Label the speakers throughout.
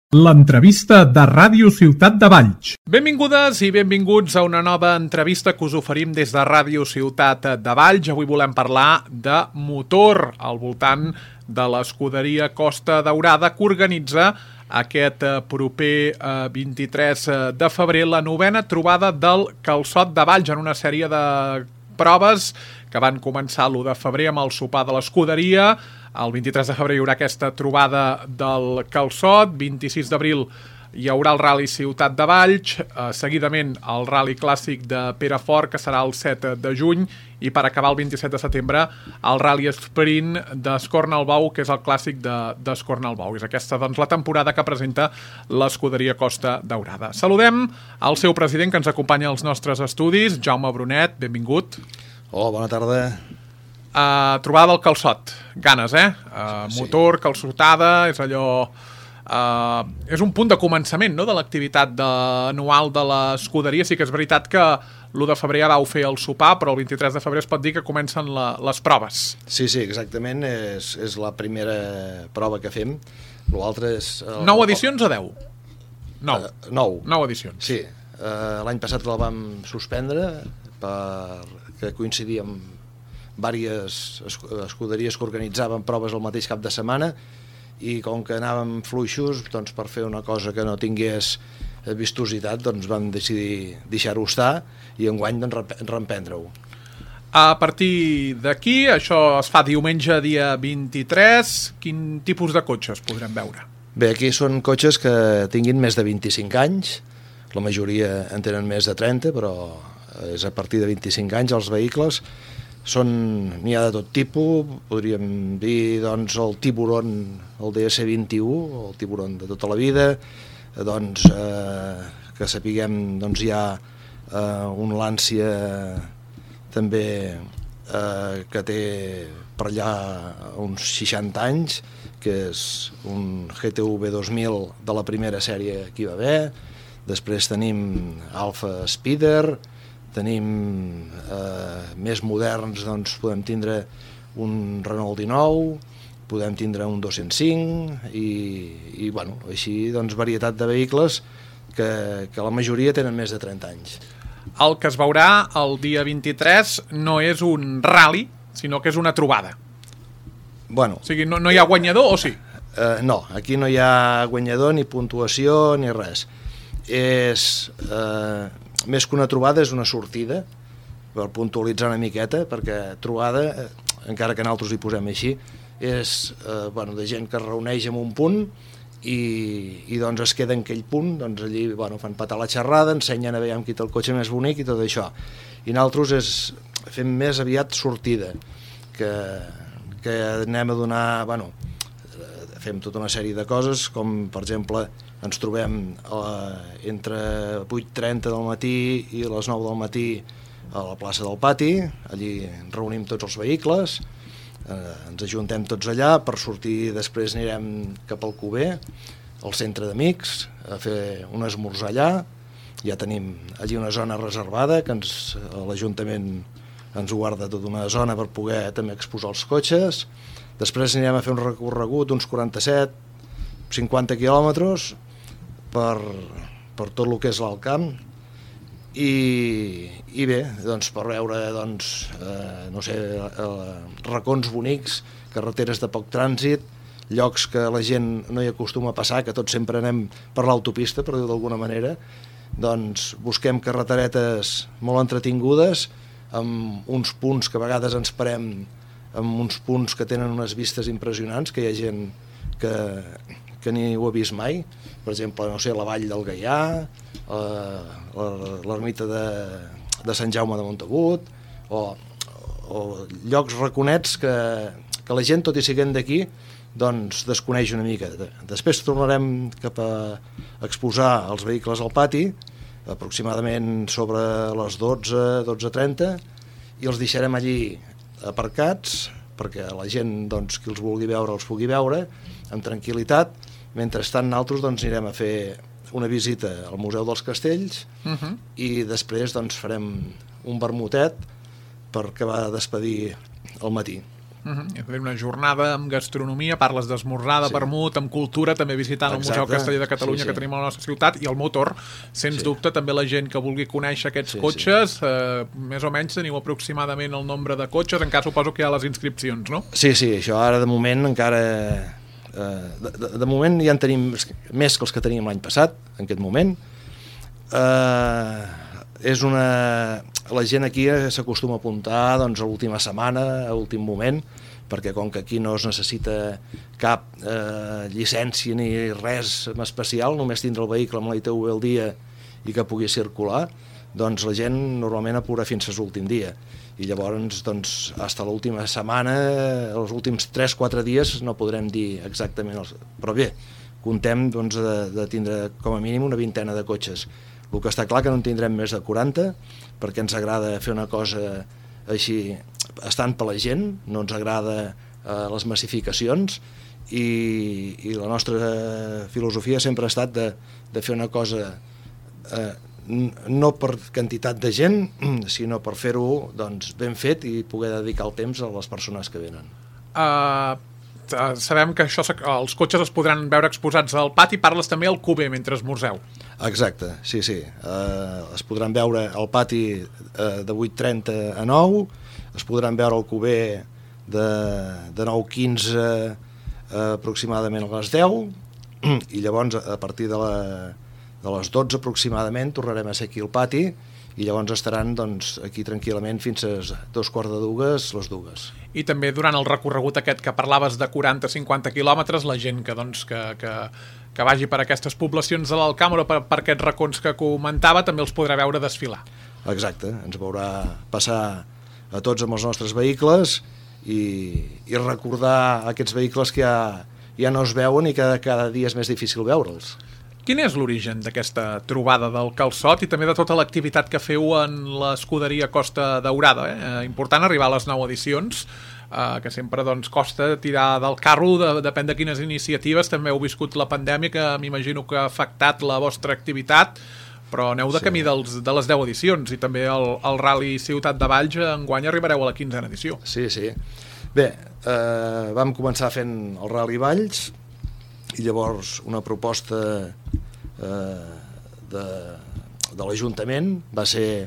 Speaker 1: L'entrevista de Ràdio Ciutat de Valls.
Speaker 2: Benvingudes i benvinguts a una nova entrevista que us oferim des de Ràdio Ciutat de Valls. Avui volem parlar de motor al voltant de l'escuderia Costa Daurada, que organitza aquest proper 23 de febrer la 9a trobada del Calçot de Valls, en una sèrie de proves que van començar l'1 de febrer amb el sopar de l'escuderia. El 23 de febrer hi haurà aquesta trobada del Calçot, 26 d'abril hi haurà el Rally Ciutat de Valls, seguidament el Rally Clàssic de Perafort, que serà el 7 de juny, i per acabar el 27 de setembre el Rally Sprint d'Escornalbou, que és el clàssic d'Escornalbou. És aquesta, doncs, la temporada que presenta l'escuderia Costa Daurada. Saludem al seu president, que ens acompanya als nostres estudis, Jaume Brunet, benvingut.
Speaker 3: Hola, bona tarda.
Speaker 2: Trobada del Calçot, ganes, motor, calçotada, és allò... és un punt de començament, no?, de l'activitat anual de l'escuderia. Sí que és veritat que l'1 de febrer ja vau fer el sopar, però el 23 de febrer es pot dir que comencen les proves.
Speaker 3: Sí, exactament, és la primera prova que fem. L'altre és...
Speaker 2: 9 edicions o 10? 9 edicions.
Speaker 3: Sí, l'any passat la vam suspendre perquè coincidia amb diverses escuderies que organitzaven proves el mateix cap de setmana, i com que anàvem fluixos, doncs, per fer una cosa que no tingués vistositat, doncs vam decidir deixar-ho estar i enguany doncs, reemprendre-ho.
Speaker 2: A partir d'aquí, això es fa diumenge dia 23, quin tipus de cotxes podrem veure?
Speaker 3: Bé, aquí són cotxes que tinguin més de 25 anys, la majoria en tenen més de 30, però és a partir de 25 anys els vehicles. N'hi ha de tot tipus, podríem dir doncs, el Tiburon, el DS21, el Tiburon de tota la vida, doncs, que sapiguem, doncs, hi ha un Lancia també que té per allà uns 60 anys, que és un GTV 2000 de la primera sèrie que hi va haver. Després tenim Alfa Spider, tenim més moderns, doncs podem tindre un Renault 19, podem tindre un 205 i bueno, així doncs varietat de vehicles que la majoria tenen més de 30 anys.
Speaker 2: El que es veurà el dia 23 no és un rally, sinó que és una trobada.
Speaker 3: Bueno,
Speaker 2: o sigui, no hi ha guanyador o sí?
Speaker 3: No, aquí no hi ha guanyador ni puntuació ni res. Més que una trobada és una sortida, per puntualitzar una miqueta, perquè trobada, encara que nosaltres hi posem així, és de gent que es reuneix en un punt i doncs es queda en aquell punt, doncs allí fan petar la xerrada, ensenyen a veure qui té el cotxe més bonic i tot això. I nosaltres fem més aviat sortida, que anem a donar, fem tota una sèrie de coses, com per exemple ens trobem entre 8:30 del matí i les 9 del matí a la plaça del Pati, allí reunim tots els vehicles, ens ajuntem tots allà, per sortir després anirem cap al Cuber, al centre d'amics, a fer un esmorzar allà. Ja tenim allí una zona reservada, que l'Ajuntament ens guarda tota una zona per poder també exposar els cotxes. Després anirem a fer un recorregut d'uns 47-50 quilòmetres per tot el que és l'Alt Camp i bé, doncs, per veure racons bonics, carreteres de poc trànsit, llocs que la gent no hi acostuma a passar, que tots sempre anem per l'autopista, per dir-ho d'alguna manera. Doncs busquem carreteretes molt entretingudes, amb uns punts que a vegades ens parem, amb uns punts que tenen unes vistes impressionants, que hi ha gent que ni ho ha vist mai. Per exemple, la vall del Gaià, l'ermita de Sant Jaume de Montagut, o llocs raconets que la gent, tot i sent d'aquí, doncs desconeix una mica. Després tornarem cap a exposar els vehicles al pati, aproximadament sobre les 12:30, i els deixarem allí aparcats perquè la gent, doncs, qui els vulgui veure els pugui veure amb tranquil·litat. Mentrestant nosaltres anirem a fer una visita al Museu dels Castells i després farem un vermutet per acabar de despedir al matí.
Speaker 2: Una jornada amb gastronomia, parles d'esmorzar, de vermut, amb cultura, també visitant el Museu Casteller de Catalunya que tenim a la nostra ciutat, i el motor, sens dubte, també la gent que vulgui conèixer aquests cotxes, més o menys teniu aproximadament el nombre de cotxes, encara suposo que hi ha les inscripcions, no? Sí,
Speaker 3: això ara de moment encara... De moment ja en tenim més que els que teníem l'any passat, en aquest moment. La gent aquí s'acostuma a apuntar doncs, a l'última setmana, a l'últim moment, perquè com que aquí no es necessita cap llicència ni res especial, només tindre el vehicle amb la ITV al dia i que pugui circular, doncs la gent normalment apura fins a l'últim dia. I llavors, doncs, fins a l'última setmana, els últims 3-4 dies no podrem dir exactament, però bé, contem doncs, de tindre com a mínim una vintena de cotxes. El que està clar que no en tindrem més de 40, perquè ens agrada fer una cosa així, estant per la gent, no ens agrada les massificacions, i la nostra filosofia sempre ha estat de fer una cosa no per quantitat de gent, sinó per fer-ho doncs, ben fet i poder dedicar el temps a les persones que venen.
Speaker 2: Sabem que els cotxes es podran veure exposats al pati, parles també al Cuber mentre esmorzeu.
Speaker 3: Exacte, sí. Es podran veure al pati de 8:30 a 9, es podran veure al Cuber de 9:15 aproximadament a les 10, i llavors a partir de les 12 aproximadament tornarem a ser aquí al pati, i llavors estaran doncs, aquí tranquil·lament fins a 2:45, les 2.
Speaker 2: I també durant el recorregut aquest que parlaves de 40-50 quilòmetres, la gent que vagi per aquestes poblacions de l'Alcàmera, per aquests racons que comentava, també els podrà veure desfilar.
Speaker 3: Exacte, ens veurà passar a tots amb els nostres vehicles i recordar aquests vehicles que ja no es veuen i que cada dia és més difícil veure'ls.
Speaker 2: Quin és l'origen d'aquesta trobada del calçot i també de tota l'activitat que feu en l'escuderia Costa Daurada? Important arribar a les 9 edicions, que sempre doncs, costa tirar del carro, depèn de quines iniciatives. També heu viscut la pandèmia, que m'imagino que ha afectat la vostra activitat, però aneu de camí de les 10 edicions, i també el Rally Ciutat de Valls enguany arribareu a la 15a edició.
Speaker 3: Sí. Bé, vam començar fent el Rally Valls, i llavors una proposta de l'Ajuntament va ser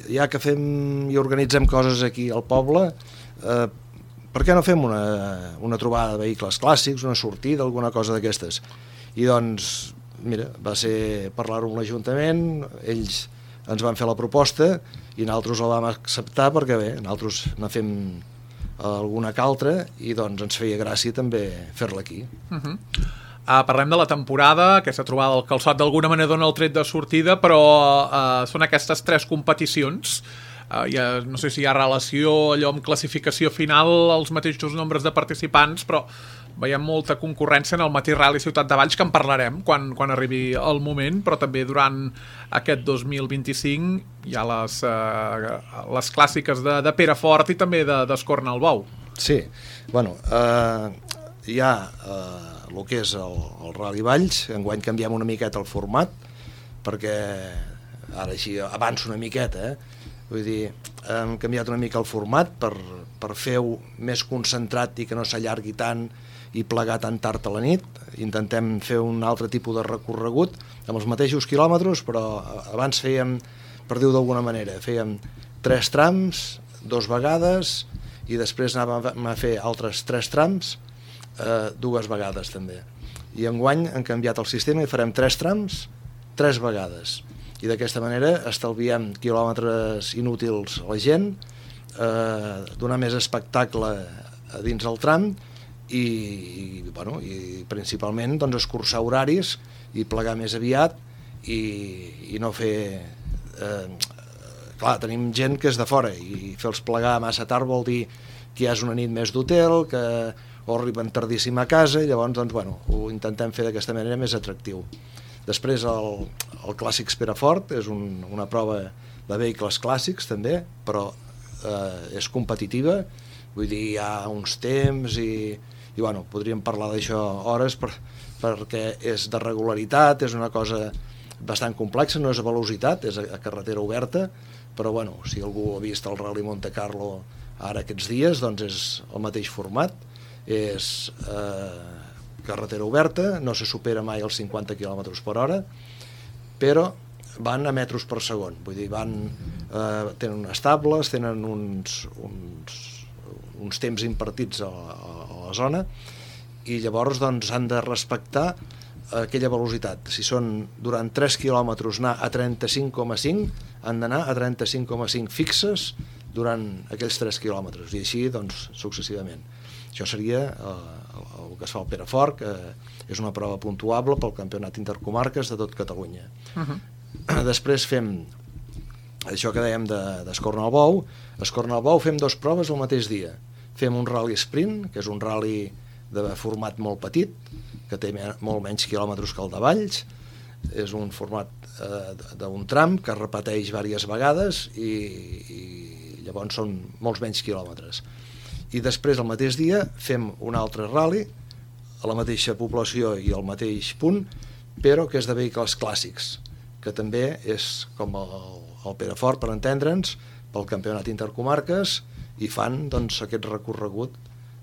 Speaker 3: ja que fem i organitzem coses aquí al poble, per què no fem una trobada de vehicles clàssics, una sortida, alguna cosa d'aquestes? I doncs, mira, va ser parlar-ho amb l'Ajuntament, ells ens van fer la proposta i nosaltres la vam acceptar perquè bé, nosaltres ne fem alguna que altra, i doncs ens feia gràcia també fer-la aquí.
Speaker 2: Parlem de la temporada, aquesta trobada del calçot d'alguna manera dona el tret de sortida, però són aquestes 3 competicions. No sé si hi ha relació allò amb classificació final, els mateixos nombres de participants, però veiem molta concurrència en el mateix Rally Ciutat de Valls, que en parlarem quan arribi el moment, però també durant aquest 2025 hi ha les clàssiques de Perafort i també d'Escorna al Bou.
Speaker 3: Sí, bueno, hi ha el que és el Rally Valls. Enguany canviem una miqueta el format, perquè ara així avanço una miqueta, vull dir, hem canviat una mica el format per fer-ho més concentrat i que no s'allargui tant i plegar tan tard a la nit. Intentem fer un altre tipus de recorregut amb els mateixos quilòmetres, però abans fèiem, per dir-ho d'alguna manera, fèiem 3 trams 2 vegades, i després anàvem a fer altres 3 trams 2 vegades també. I enguany hem canviat el sistema i farem 3 trams 3 vegades, i d'aquesta manera estalviem quilòmetres inútils a la gent, donar més espectacle dins el tram, i principalment doncs, escurçar horaris i plegar més aviat, i no fer clar, tenim gent que és de fora, i fer-los plegar massa tard vol dir que ja és una nit més d'hotel, que o arriben tardíssim a casa, i llavors doncs, ho intentem fer d'aquesta manera més atractiu. Després el Clàssics Perafort és una prova de vehicles clàssics també, però és competitiva, vull dir, hi ha uns temps i podríem parlar d'això hores, perquè és de regularitat, és una cosa bastant complexa, no és a velocitat, és a carretera oberta, però si algú ha vist el Rally Monte Carlo Ara aquests dies doncs, és el mateix format, és carretera oberta, no se supera mai els 50 km per hora, però van a metres per segon, vull dir, tenen unes tables, tenen uns temps impartits a la zona, i llavors doncs, han de respectar aquella velocitat. Si són durant 3 quilòmetres anar a 35,5, han d'anar a 35,5 fixes durant aquells 3 quilòmetres, i així doncs, successivament. Això seria el que es fa al Perafort, que és una prova puntuable pel campionat intercomarques de tot Catalunya. Després fem això que dèiem d'Escornalbou. A Escornalbou fem 2 proves el mateix dia. Fem un rally sprint, que és un rally de format molt petit, que té molt menys quilòmetres que el de Valls. És un format d'un tram que es repeteix diverses vegades i llavors són molts menys quilòmetres. I després, el mateix dia, fem un altre rally a la mateixa població i al mateix punt, però que és de vehicles clàssics, que també és com el Perafort, per entendre'ns, pel campionat intercomarques, i fan doncs, aquest recorregut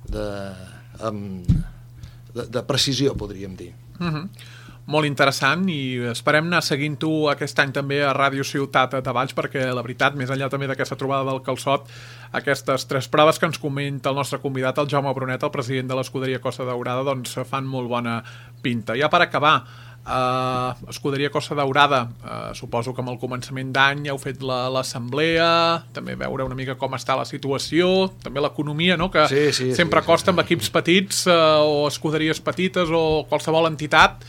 Speaker 3: de precisió, podríem dir.
Speaker 2: Molt interessant, i esperem anar seguint-ho aquest any també a Ràdio Ciutat de Valls, perquè la veritat, més enllà també d'aquesta trobada del Calçot, aquestes 3 proves que ens comenta el nostre convidat, el Jaume Brunet, el president de l'Escuderia Costa Daurada, doncs fan molt bona pinta. Ja per acabar, Escuderia Costa Daurada, suposo que amb el començament d'any heu fet l'assemblea, també veure una mica com està la situació, també l'economia, no? Que sempre costa amb equips petits o escuderies petites o qualsevol entitat,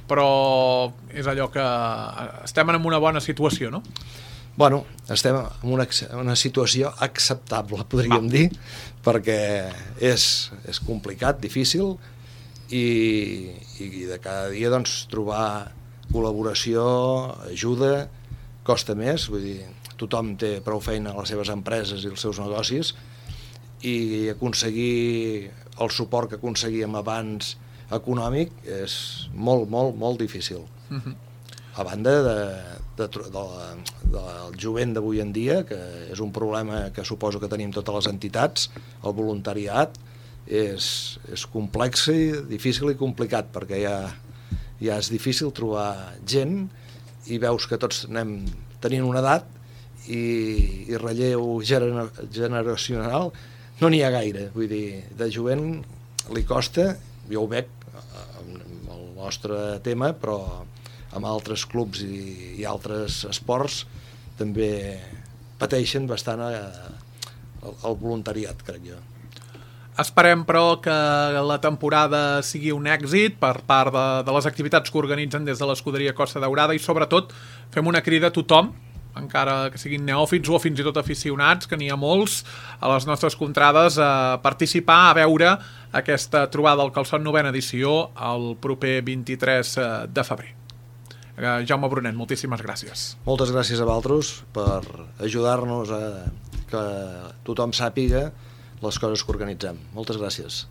Speaker 2: però és allò que estem en una bona situació, no?
Speaker 3: Bueno, estem en una situació acceptable, podríem dir, perquè és complicat, difícil, i de cada dia doncs, trobar col·laboració, ajuda, costa més, vull dir, tothom té prou feina a les seves empreses i els seus negocis, i aconseguir el suport que aconseguíem abans econòmic és molt, molt, molt difícil. A banda del jovent d'avui en dia, que és un problema que suposo que tenim totes les entitats, el voluntariat és complex i difícil i complicat, perquè ja és difícil trobar gent i veus que tots anem tenint una edat i relleu generacional no n'hi ha gaire, vull dir, de jovent li costa, jo ho veig amb el nostre tema, però amb altres clubs i altres esports també pateixen bastant el voluntariat, crec jo.
Speaker 2: Esperem, però, que la temporada sigui un èxit per part de les activitats que organitzen des de l'Escuderia Costa Daurada, i sobretot fem una crida a tothom, encara que siguin neòfits o fins i tot aficionats, que n'hi ha molts a les nostres contrades, a participar, a veure aquesta trobada del Calçot 9ª edició el proper 23 de febrer. Jaume Brunet, moltíssimes gràcies.
Speaker 3: Moltes gràcies a vosaltres per ajudar-nos a que tothom sàpiga les coses que organitzem. Moltes gràcies.